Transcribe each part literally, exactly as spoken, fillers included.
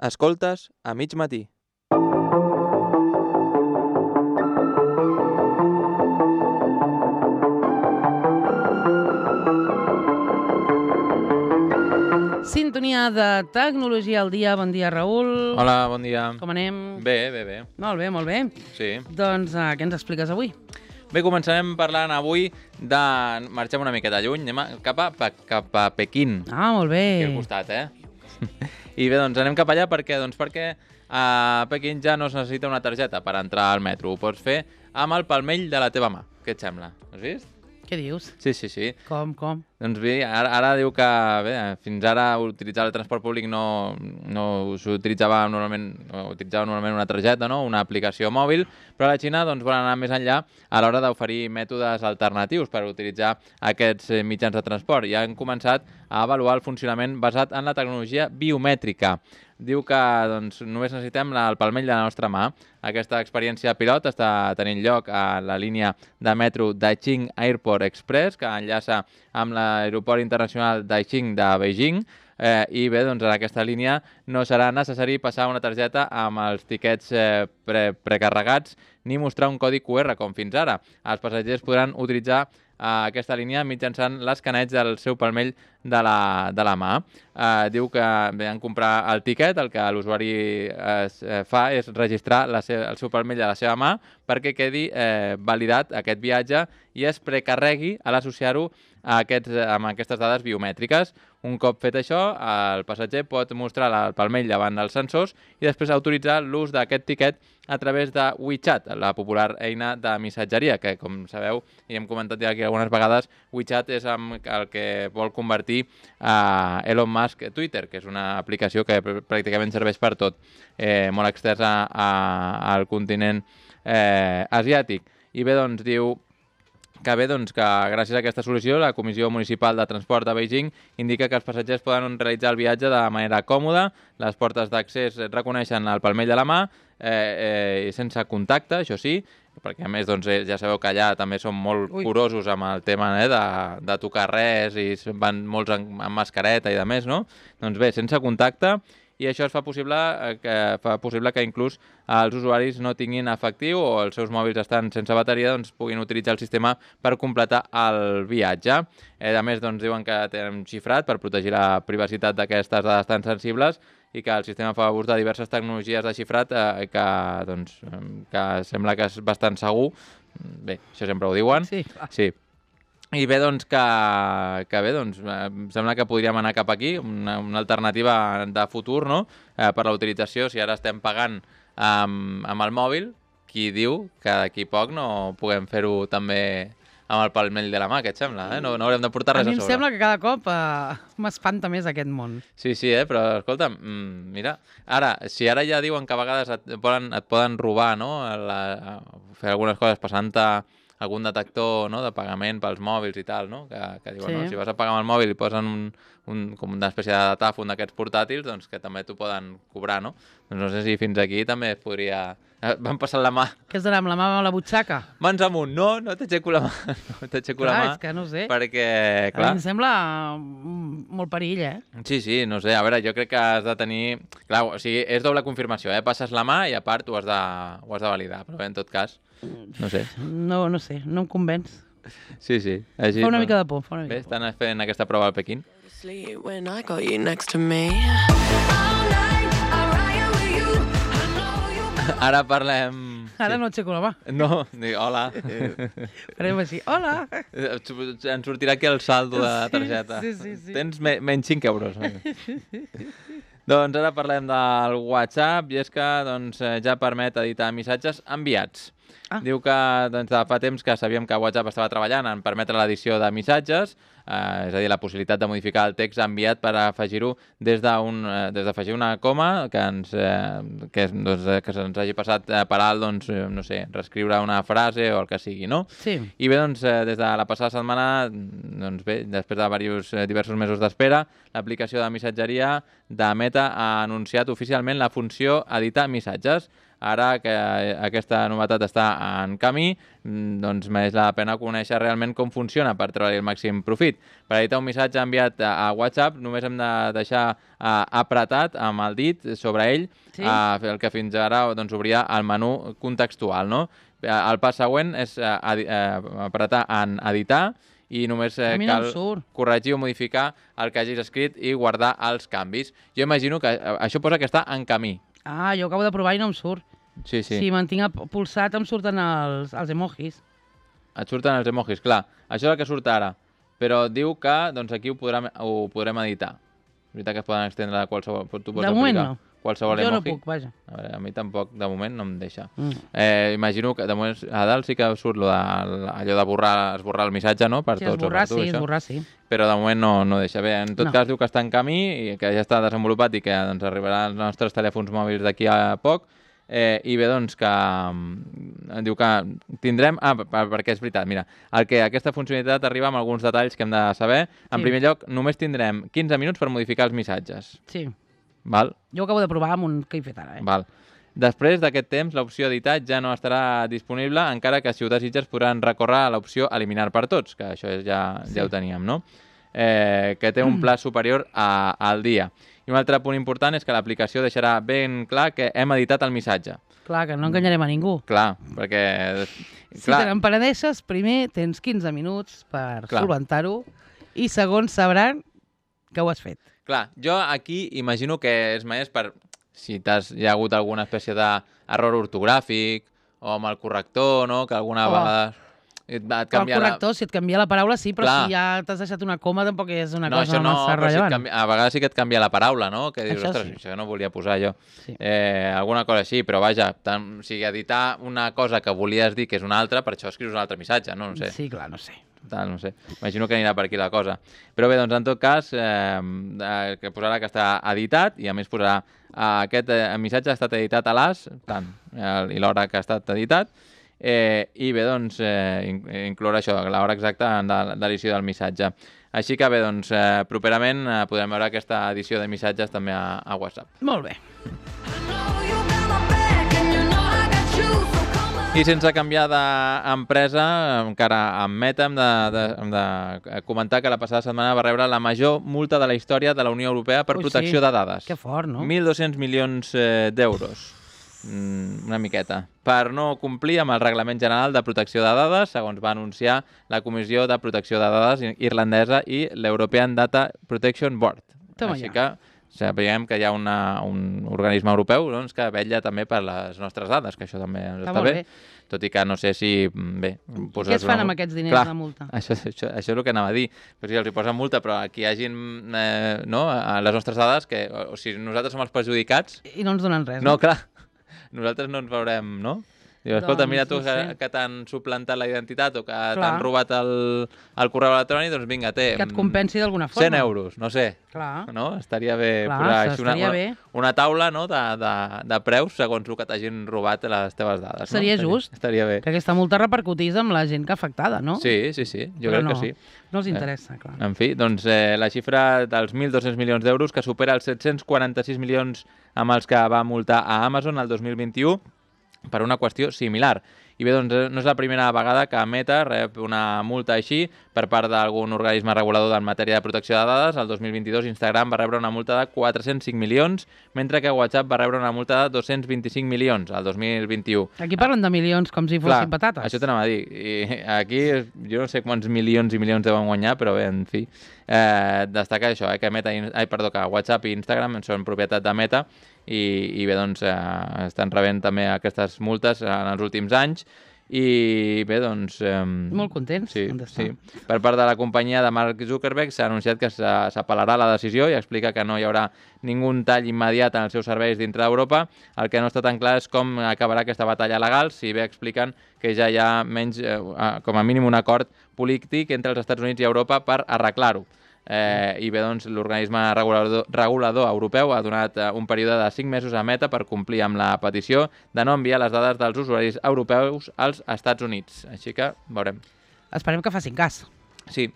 Escoltes a mig matí. Sintonia de Tecnologia al dia. Bon dia, Raül. Hola, bon dia. Com anem? Bé, bé, bé. Molt bé, molt bé. Sí. Doncs uh, què ens expliques avui? Bé, començarem parlant avui de... Marxem una miqueta lluny, anem a... cap, a... cap a Pequín. Ah, molt bé. Aquí al costat, eh? I bé, doncs anem cap allà perquè, doncs, perquè a Pequín ja no es necessita una targeta per entrar al metro. Ho pots fer amb el palmell de la teva mà. Què et sembla? Ho has vist? Què dius? Sí, sí, sí. Com, com? Doncs bé, ara, ara diu que bé, fins ara utilitzar el transport públic no, no s'utilitzava normalment, no, utilitzava normalment una targeta, no? Una aplicació mòbil, però a la Xina doncs, volen anar més enllà a l'hora d'oferir mètodes alternatius per utilitzar aquests mitjans de transport. Ja han començat a avaluar el funcionament basat en la tecnologia biomètrica. Diu que doncs, només necessitem el palmell de la nostra mà. Aquesta experiència pilot està tenint lloc a la línia de metro Daixing Airport Express, que enllaça amb l'aeroport internacional Daixing de Beijing. Eh, I bé, doncs, en aquesta línia no serà necessari passar una targeta amb els tiquets eh, pre precarregats ni mostrar un codi Q R com fins ara. Els passatgers podran utilitzar a aquesta línia mitjançant l'escaneig del seu palmell de la, de la mà. Eh, diu que bé, en comprar el tiquet, el que l'usuari eh, fa és registrar la seva, el seu palmell de la seva mà perquè quedi eh, validat aquest viatge i es precarregui a l'associar-ho a aquests, amb aquestes dades biomètriques. Un cop fet això, el passatger pot mostrar el palmell davant dels sensors i després autoritzar l'ús d'aquest tiquet a través de WeChat, la popular eina de missatgeria, que, com sabeu, i hem comentat ja aquí algunes vegades, WeChat és el que vol convertir a Elon Musk Twitter, que és una aplicació que pràcticament serveix per tot, eh, molt extensa al continent eh, asiàtic. I bé, doncs, diu que bé, doncs, que gràcies a aquesta solució la Comissió Municipal de Transport de Beijing indica que els passatgers poden realitzar el viatge de manera còmoda, les portes d'accés reconeixen el palmell de la mà, eh, eh, sense contacte, això sí, perquè a més doncs, ja sabeu que allà també són molt Ui. curosos amb el tema eh, de, de tocar res i van molts amb, amb mascareta i de més, no? Doncs bé, sense contacte, i això es fa possible, que, fa possible que inclús els usuaris no tinguin efectiu o els seus mòbils estan sense bateria, doncs puguin utilitzar el sistema per completar el viatge. Eh, a més, doncs, diuen que tenen xifrat per protegir la privacitat d'aquestes dades tan sensibles i que el sistema fa ús de diverses tecnologies de xifrat eh, que, doncs, que sembla que és bastant segur. Bé, això sempre ho diuen. Sí, clar. Sí. I bé, doncs, que, que bé, doncs, em sembla que podríem anar cap aquí, una, una alternativa de futur, no?, eh, per la utilització. Si ara estem pagant amb, amb el mòbil, qui diu que d'aquí poc no puguem fer-ho també amb el palmell de la mà, què et sembla? Eh? No, no haurem de portar res a, a mi sobre. em sembla que cada cop uh, m'espanta més aquest món. Sí, sí, eh? Però escolta, mm, mira, ara, si ara ja diuen que a vegades et poden, et poden robar, no?, la, fer algunes coses passant-te algun detector, no?, de pagament pels mòbils i tal, no?, que, que diuen, sí. No?, si vas a pagar amb el mòbil i posen un, un, com una espècie de datàfon d'aquests portàtils, doncs que també t'ho poden cobrar, no? Doncs no sé si fins aquí també es podria... Van passar la mà. Què es donarà amb la mà a la butxaca? Mans amunt. No, no t'aixeco la mà. No t'aixeco la mà. Clar, és que no sé. Perquè, A clar... mi em sembla molt perill, eh? Sí, sí, no sé. A veure, jo crec que has de tenir... Clar, o sigui, és doble confirmació, eh? Passes la mà i a part ho has de, ho has de validar. Però bé, en tot cas, no sé. No, no sé, no em convenç. Sí, sí. Així, Fa una no? mica de por, fa una mica Bé, de por. estan fent aquesta prova al Pequín. When I got you next to me. Ara parlem... Ara sí. no aixeco la mà. No, dic, hola. Farem així, hola! Ens sortirà aquí el saldo de la targeta. Sí, sí, sí. Tens me menys cinc euros. Doncs ara parlem del WhatsApp i és que doncs, ja permet editar missatges enviats. Ah. Diu que doncs, de fa temps que sabíem que WhatsApp estava treballant en permetre l'edició de missatges, eh, és a dir, la possibilitat de modificar el text enviat per afegir-ho des d'afegir una coma que, ens, eh, que, doncs, que se'ns hagi passat per alt, doncs, no sé, reescriure una frase o el que sigui, no? Sí. I bé, doncs, des de la passada setmana, doncs bé, després de diversos, diversos mesos d'espera, l'aplicació de missatgeria de Meta ha anunciat oficialment la funció editar missatges. ara que aquesta novetat està en camí, doncs mereix la pena conèixer realment com funciona per treure el màxim profit. Per editar un missatge enviat a WhatsApp només hem de deixar uh, apretat amb el dit sobre ell, sí. uh, el que fins ara doncs, obria el menú contextual. No? El pas següent és uh, uh, apretar en editar i només eh, cal no corregir o modificar el que hagis escrit i guardar els canvis. Jo imagino que això posa que està en camí. Ah, jo acabo de provar i no em surt. Sí, sí. Si mantinc pulsat em surten els, els emojis. Et surten els emojis, clar. Això és el que surt ara. Però diu que doncs, aquí ho podrem, ho podrem editar. És veritat que es poden extendre a qualsevol... Tu pots de moment aplicar. no. Qualsevol jo emoji. no puc, vaja. A, veure, a mi tampoc, de moment, no em deixa. Mm. Eh, imagino que de moment a dalt sí que surt lo de, allò de borrar, esborrar el missatge, no? Per sí, tots esborrar, o per tu, sí, això. esborrar, sí. Però de moment no, no deixa. Bé, en tot no. cas diu que està en camí i que ja està desenvolupat i que doncs, arribarà als nostres telèfons mòbils d'aquí a poc. Eh, I bé, doncs, que um, diu que tindrem... Ah, perquè és veritat, mira, el que aquesta funcionalitat arriba amb alguns detalls que hem de saber. En sí. primer lloc, només tindrem quinze minuts per modificar els missatges. Sí. Val? Jo acabo de provar amb un que he fet ara. Eh? Val. Després d'aquest temps, l'opció editar ja no estarà disponible, encara que si ho desitges podran recórrer a l'opció eliminar per tots, que això és, ja, sí. ja ho teníem, no? Eh, que té un pla superior a, al dia. I un altre punt important és que l'aplicació deixarà ben clar que hem editat el missatge. Clar, que no enganyarem a ningú. Clar, perquè... Si clar... te n'empenedeixes, primer tens quinze minuts per solventar-ho i segon sabran que ho has fet. Clar, jo aquí imagino que és més per si t'has, hi ha hagut alguna espècie d'error ortogràfic o amb el corrector, no? Que alguna oh. vegada et, et canvia el corrector, la... si et canvia la paraula, sí, però Clar. si ja t'has deixat una coma tampoc és una no, cosa no, massa rellevant. Si canvia, a vegades sí que et canvia la paraula, no? Que dius, això ostres, sí. això no volia posar jo. Sí. Eh, alguna cosa així, però vaja, tant, o sigui, editar una cosa que volies dir que és una altra, per això escrius un altre missatge, no? No sé. Sí, clar, no sé. Tal, no sé. Imagino que anirà per aquí la cosa. Però bé, doncs en tot cas, eh, que posarà que està editat i a més posarà eh, aquest eh, missatge ha estat editat a l'as, tant, eh, i l'hora que ha estat editat, eh, i bé, doncs, eh, incloure això, l'hora exacta de, de l'edició del missatge. Així que bé, doncs, eh, properament eh, podrem veure aquesta edició de missatges també a, a WhatsApp. Molt bé. I sense canviar d'empresa, encara amb Meta, hem de, de, hem de comentar que la passada setmana va rebre la major multa de la història de la Unió Europea per Ui, protecció sí. de dades. Que fort, no? mil dos-cents milions eh, d'euros. Mm, una miqueta. Per no complir amb el Reglament General de Protecció de Dades, segons va anunciar la Comissió de Protecció de Dades irlandesa i l'European Data Protection Board. Toma Així ja. que sapiguem que hi ha una, un organisme europeu doncs, que vetlla també per les nostres dades, que això també ens està, està bé. bé. Tot i que no sé si... Bé, què es fan una... amb aquests diners Clar, de multa? Això, això, això és el que anava a dir. Però si els hi posen multa, però aquí hi hagin eh, no, a les nostres dades, que o, o sigui, nosaltres som els perjudicats... I no ens donen res. No, no clar. Nosaltres no ens veurem, no? Diu, escolta, doncs, mira tu no que, sé. que t'han suplantat la identitat o que t'han robat el, el correu electrònic, doncs vinga, té... Que et compensi d'alguna forma. cent euros, no sé. Clar. No? Estaria bé Clar, posar així una, estaria bé. una, una taula no? de, de, de preus segons el que t'hagin robat les teves dades. Seria no? just. Estaria, estaria bé. Que aquesta multa repercutís amb la gent que afectada, no? Sí, sí, sí, jo Però crec no, que sí. No els interessa, clar. En fi, doncs eh, la xifra dels mil dos-cents milions d'euros que supera els set-cents quaranta-sis milions amb els que va multar a Amazon el dos mil vint-i-u per una qüestió similar. I bé, doncs no és la primera vegada que Meta rep una multa així per part d'algun organisme regulador en matèria de protecció de dades. El dos mil vint-i-dos Instagram va rebre una multa de quatre-cents cinc milions, mentre que WhatsApp va rebre una multa de dos-cents vint-i-cinc milions el dos mil vint-i-u. Aquí parlen de milions com si fossin Clar, patates. Això t'anava a dir. I aquí jo no sé quants milions i milions deuen guanyar, però bé, en fi. Eh, destaca això, eh, que, Meta, ai, perdó, que WhatsApp i Instagram són propietat de Meta i, i bé, doncs eh, estan rebent també aquestes multes en els últims anys. I bé, doncs... Eh, Molt contents. Sí, sí. Per part de la companyia de Mark Zuckerberg s'ha anunciat que s'apel·larà la decisió i explica que no hi haurà ningú tall immediat en els seus serveis dintre d'Europa. El que no està tan clar és com acabarà aquesta batalla legal, si bé expliquen que ja hi ha menys, eh, com a mínim un acord polític entre els Estats Units i Europa per arreglar-ho. Eh, I bé, doncs, l'organisme regulador, regulador europeu ha donat eh, un període de cinc mesos a Meta per complir amb la petició de no enviar les dades dels usuaris europeus als Estats Units. Així que veurem. Esperem que facin cas. Sí,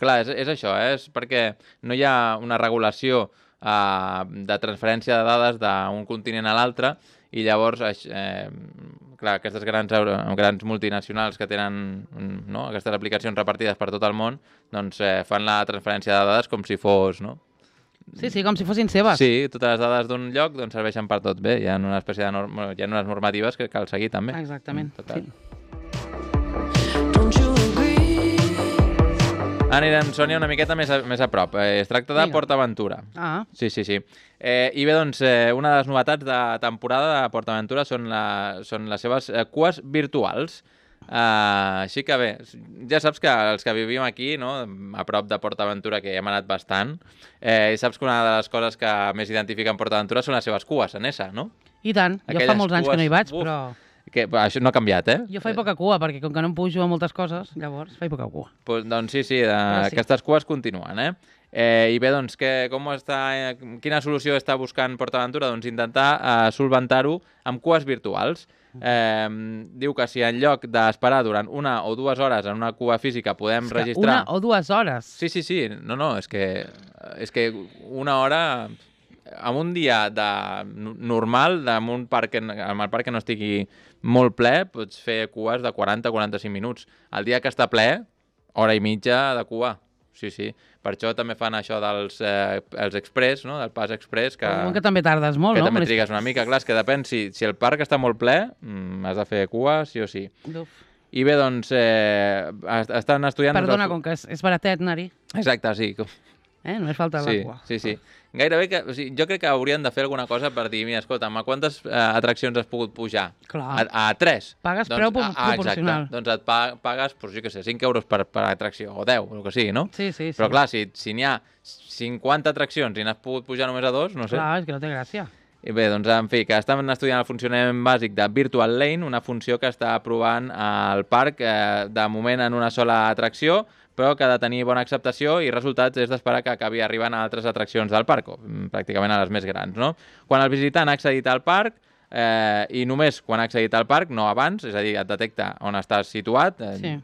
clar, és, és això, eh? És perquè no hi ha una regulació uh, de transferència de dades d'un continent a l'altre, i llavors eh, clar, aquestes grans, grans multinacionals que tenen no, aquestes aplicacions repartides per tot el món doncs eh, fan la transferència de dades com si fos... No? Sí, sí, com si fossin seves. Sí, totes les dades d'un lloc doncs, serveixen per tot. Bé, hi ha una espècie de norm... hi ha unes normatives que cal seguir també. Exactament. Sí. Anirem, Sònia, una miqueta més a, més a prop. Eh, es tracta de Vinga. PortAventura. Ah. Sí, sí, sí. Eh, I bé, doncs, eh, una de les novetats de temporada de PortAventura són, la, són les seves eh, cues virtuals. Uh, així que bé, ja saps que els que vivim aquí, no, a prop de PortAventura, que hem anat bastant, eh, i saps que una de les coses que més identifiquen PortAventura són les seves cues en essa, no? I tant. Aquelles jo fa molts anys cues, que no hi vaig, uf, però... Que, això no ha canviat, eh? Jo faig poca cua, perquè com que no em pujo a moltes coses, llavors faig poca cua. Pues, doncs sí, sí, de, sí, aquestes cues continuen, eh? eh? I bé, doncs, que, com està, eh, quina solució està buscant PortAventura? Doncs intentar eh, solventar-ho amb cues virtuals. Eh, diu que si en lloc d'esperar durant una o dues hores en una cua física podem és registrar... Una o dues hores? Sí, sí, sí. No, no, és que, és que una hora... En un dia de normal, en un parc, en el parc que no estigui molt ple, pots fer cues de quaranta a quaranta-cinc minuts. El dia que està ple, hora i mitja de cua. Sí, sí. Per això també fan això dels eh, els express, no? Del pas express. Que, que també tardes molt, que no? Que també trigues una mica. Clar, és que depèn. Si, si el parc està molt ple, mm, has de fer cua, sí o sí. Uf. I bé, doncs, eh, estan estudiant... Perdona, els... com que és, és baratet anar-hi. Exacte, sí. Eh? Només falta sí, la cua. Sí, sí. Gairebé que... O sigui, jo crec que haurien de fer alguna cosa per dir, mira, escolta'm, a quantes eh, atraccions has pogut pujar? Clar. A, a tres. Pagues doncs, preu a, a, proporcional. Exacte. Doncs et pa, pagues, doncs, jo què sé, cinc euros per, per atracció, o deu, o el que sigui, no? Sí, sí, sí. Però clar, si, si n'hi ha cinquanta atraccions i n'has pogut pujar només a dos, no sé. Clar, és que no té gràcia. I bé, doncs, en fi, que estan estudiant el funcionament bàsic de Virtual Lane, una funció que està provant al parc, eh, de moment en una sola atracció, però que ha de tenir bona acceptació i resultats és d'esperar que acabi arribant a altres atraccions del parc, o pràcticament a les més grans, no? Quan el visitant ha accedit al parc, eh, i només quan ha accedit al parc, no abans, és a dir, et detecta on estàs situat, eh, Sí.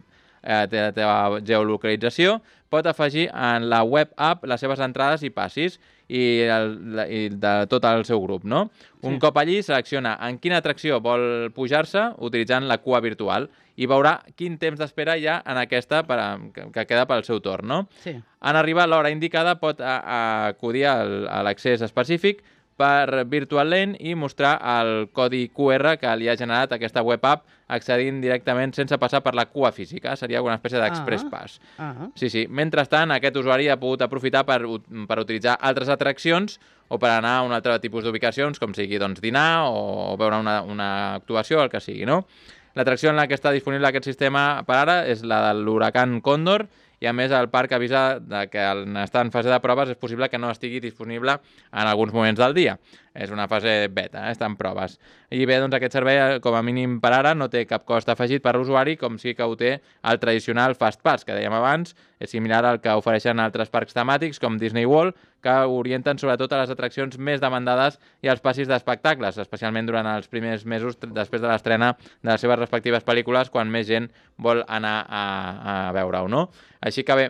eh, té la teva geolocalització, pot afegir en la web app les seves entrades i passis i, el, i de tot el seu grup, no? Un Sí. cop allí, selecciona en quina atracció vol pujar-se utilitzant la cua virtual i veurà quin temps d'espera hi ha en aquesta per a, que, que queda pel seu torn, no? Sí. En arribar a l'hora indicada pot a, a acudir al, a l'accés específic per Virtual Lane i mostrar el codi Q R que li ha generat aquesta web app accedint directament sense passar per la cua física. Seria una espècie d'express Ah. pass. Ah. Sí, sí. Mentrestant, aquest usuari ha pogut aprofitar per, per utilitzar altres atraccions o per anar a un altre tipus d'ubicacions, com sigui doncs, dinar o, o veure una, una actuació, el que sigui, no? L'atracció en la que està disponible aquest sistema per ara és la de l'huracan Còndor, i a més el parc avisa de que en estar en fase de proves és possible que no estigui disponible en alguns moments del dia. És una fase beta, eh? Està en proves. I bé, doncs aquest servei, com a mínim per ara, no té cap cost afegit per l'usuari, com sí que ho té el tradicional Fast Pass, que dèiem abans, és similar al que ofereixen altres parcs temàtics, com Disney World, que orienten sobretot a les atraccions més demandades i als passis d'espectacles, especialment durant els primers mesos després de l'estrena de les seves respectives pel·lícules, quan més gent vol anar a, a veure-ho, no? Així que bé,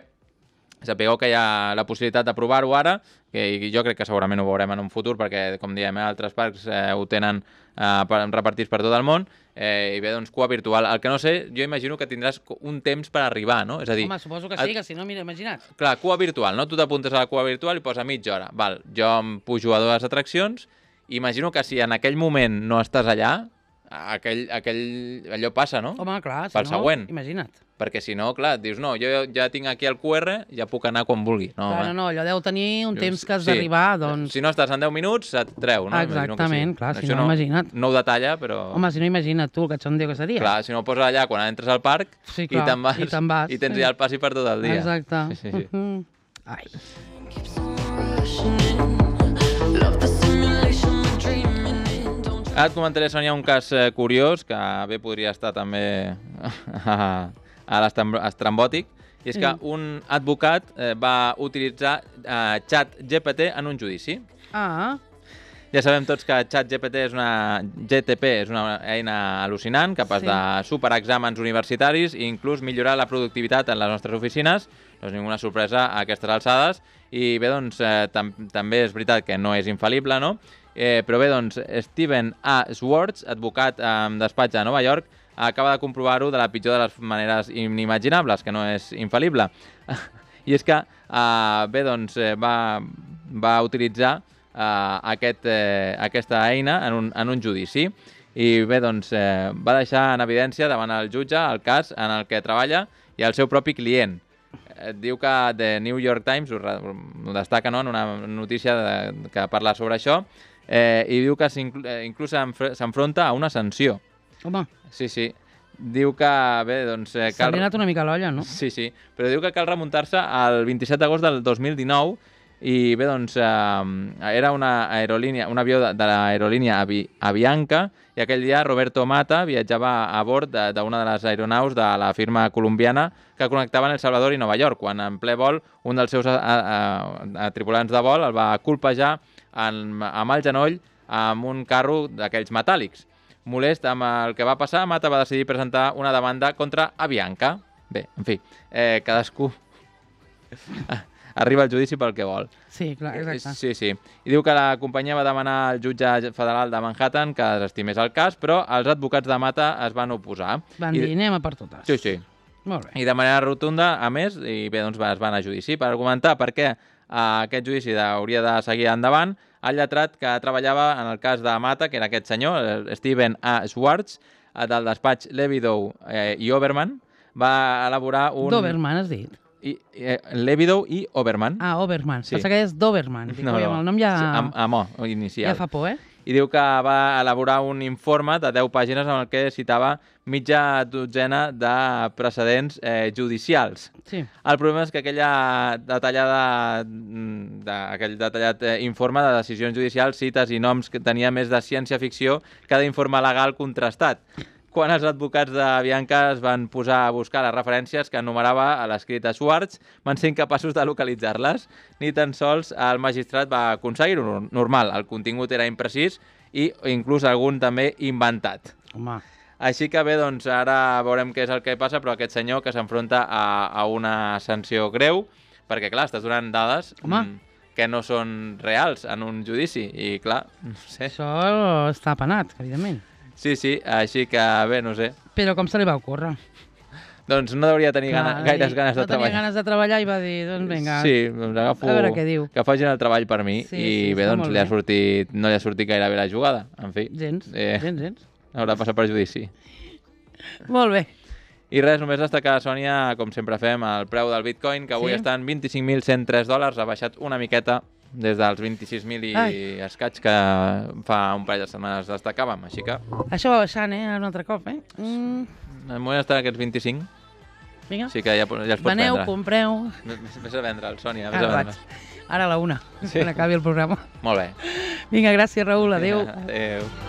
sapigueu que hi ha la possibilitat de provar-ho ara, que jo crec que segurament ho veurem en un futur, perquè, com diem, eh, altres parcs eh, ho tenen eh, repartits per tot el món, eh, i bé, doncs, cua virtual. El que no sé, jo imagino que tindràs un temps per arribar, no? És a dir... Home, suposo que sí, que si no, mira, imagina't. Clar, cua virtual, no? Tu t'apuntes a la cua virtual i posa mitja hora. Val, jo em pujo a dues atraccions, i imagino que si en aquell moment no estàs allà, aquell, aquell, allò passa, no? Home, clar, si Pel no, següent. imagina't. Perquè si no, clar, dius, no, jo ja tinc aquí el Q R, ja puc anar quan vulgui. No, Clar, home. no, no, allò deu tenir un Dius, temps que has sí. d'arribar, doncs... Si no estàs en deu minuts, et treu, no? Imagino que Exactament, clar, si Això no, imagina't. No ho detalla, però... Home, si no, imagina't tu, el catxondeo que seria. Clar, si no ho poses allà quan entres al parc Sí, i clar, te'n vas, i te'n vas, i tens sí. ja el passi per tot el dia. Exacte. Sí, sí, sí. Mhm. Ai. Ara et comentaré, Sònia, un cas eh, curiós, que bé podria estar també a, a l'estrambòtic, i és que Mm. un advocat eh, va utilitzar eh, xat G P T en un judici. Ah, Ja sabem tots que ChatGPT és una... G T P és una eina al·lucinant, capaç sí. de superar exàmens universitaris i inclús millorar la productivitat en les nostres oficines. No és ninguna sorpresa a aquestes alçades. I bé, doncs, eh, tam també és veritat que no és infal·lible, no? Eh, però bé, doncs, Steven A. Schwartz, advocat amb despatx a Nova York, acaba de comprovar-ho de la pitjor de les maneres inimaginables, que no és infal·lible. I és que, eh, bé, doncs, eh, va, va utilitzar eh, aquest, eh, aquesta eina en un, en un judici. I bé, doncs, eh, va deixar en evidència davant el jutge el cas en el que treballa i el seu propi client. Eh, diu que The New York Times ho, ho destaca, no?, en una notícia de, que parla sobre això, eh, i diu que inclús s'enfronta a una sanció. Home. Sí, sí. Diu que, bé, doncs... Eh, cal... S'ha anat una mica l'olla, no? Sí, sí. Però diu que cal remuntar-se al vint-i-set d'agost del dos mil dinou i, bé, doncs, eh, era una aerolínia, un avió de, de l'aerolínia Avi, Avianca i aquell dia Roberto Mata viatjava a bord d'una de, de les aeronaus de la firma colombiana que connectaven El Salvador i Nova York, quan en ple vol un dels seus a, a, a, tripulants de vol el va colpejar en, amb el genoll amb un carro d'aquells metàl·lics. Molest amb el que va passar, Mata va decidir presentar una demanda contra Avianca. Bé, en fi, eh, cadascú arriba al judici pel que vol. Sí, clar, exacte. Sí, sí. I diu que la companyia va demanar al jutge federal de Manhattan que desestimés el cas, però els advocats de Mata es van oposar. Van dir, anem a per totes. Sí, sí. Molt bé. I de manera rotunda, a més, i bé, doncs es van a judici per argumentar per què aquest judici hauria de seguir endavant. El lletrat que treballava en el cas de Mata, que era aquest senyor, Steven A. Schwartz, del despatx Levidow eh, i Oberman, va elaborar un... Doberman, has dit? I, eh, Levidow i Oberman. Ah, Oberman. Sí. Pensa que és Doberman. Dic, no, no. El nom ja... Sí, amb, amb O, inicial. Ja fa por, eh? I diu que va elaborar un informe de deu pàgines en el que citava mitja dotzena de precedents eh, judicials. Sí. El problema és que aquella detallada, de, aquell detallat eh, informe de decisions judicials, cites i noms que tenia més de ciència-ficció que d'informe legal contrastat. Quan els advocats de Bianca es van posar a buscar les referències que enumerava a l'escrit de Schwartz, van ser incapaços de localitzar-les. Ni tan sols el magistrat va aconseguir-ho. Normal, el contingut era imprecís i inclús algun també inventat. Home. Així que bé, doncs ara veurem què és el que passa, però aquest senyor que s'enfronta a, a una sanció greu, perquè clar, estàs donant dades mm, que no són reals en un judici, i clar, no sé. Això està penat, evidentment. Sí, sí, així que bé, no sé. Però com se li va ocórrer? Doncs no hauria tenir Clar, gana, gaires ganes de no treballar. No tenia ganes de treballar i va dir, doncs vinga, sí, doncs agafo, a veure què diu. Que facin el treball per mi sí, i sí, bé, doncs li ha bé. sortit, no li ha sortit gaire bé la jugada, en fi. Gens, eh, gens, gens. Haurà passat per judici. Molt bé. I res, només destacar, Sònia, com sempre fem, el preu del Bitcoin, que avui sí? està en vint-i-cinc mil cent tres dòlars, ha baixat una miqueta des dels vint-i-sis mil i Ai. escaig que fa un parell de setmanes destacàvem, així que... Això va baixant, eh, un altre cop, eh? Mm. El moment està en aquests vint-i-cinc. Vinga. Sí que ja, ja els pots Veneu, vendre. compreu... Vés a vendre'l, Sònia, vés Ara a vendre'l. Ara a la una, sí. quan acabi el programa. Molt bé. Vinga, gràcies, Raül, adéu. Adéu.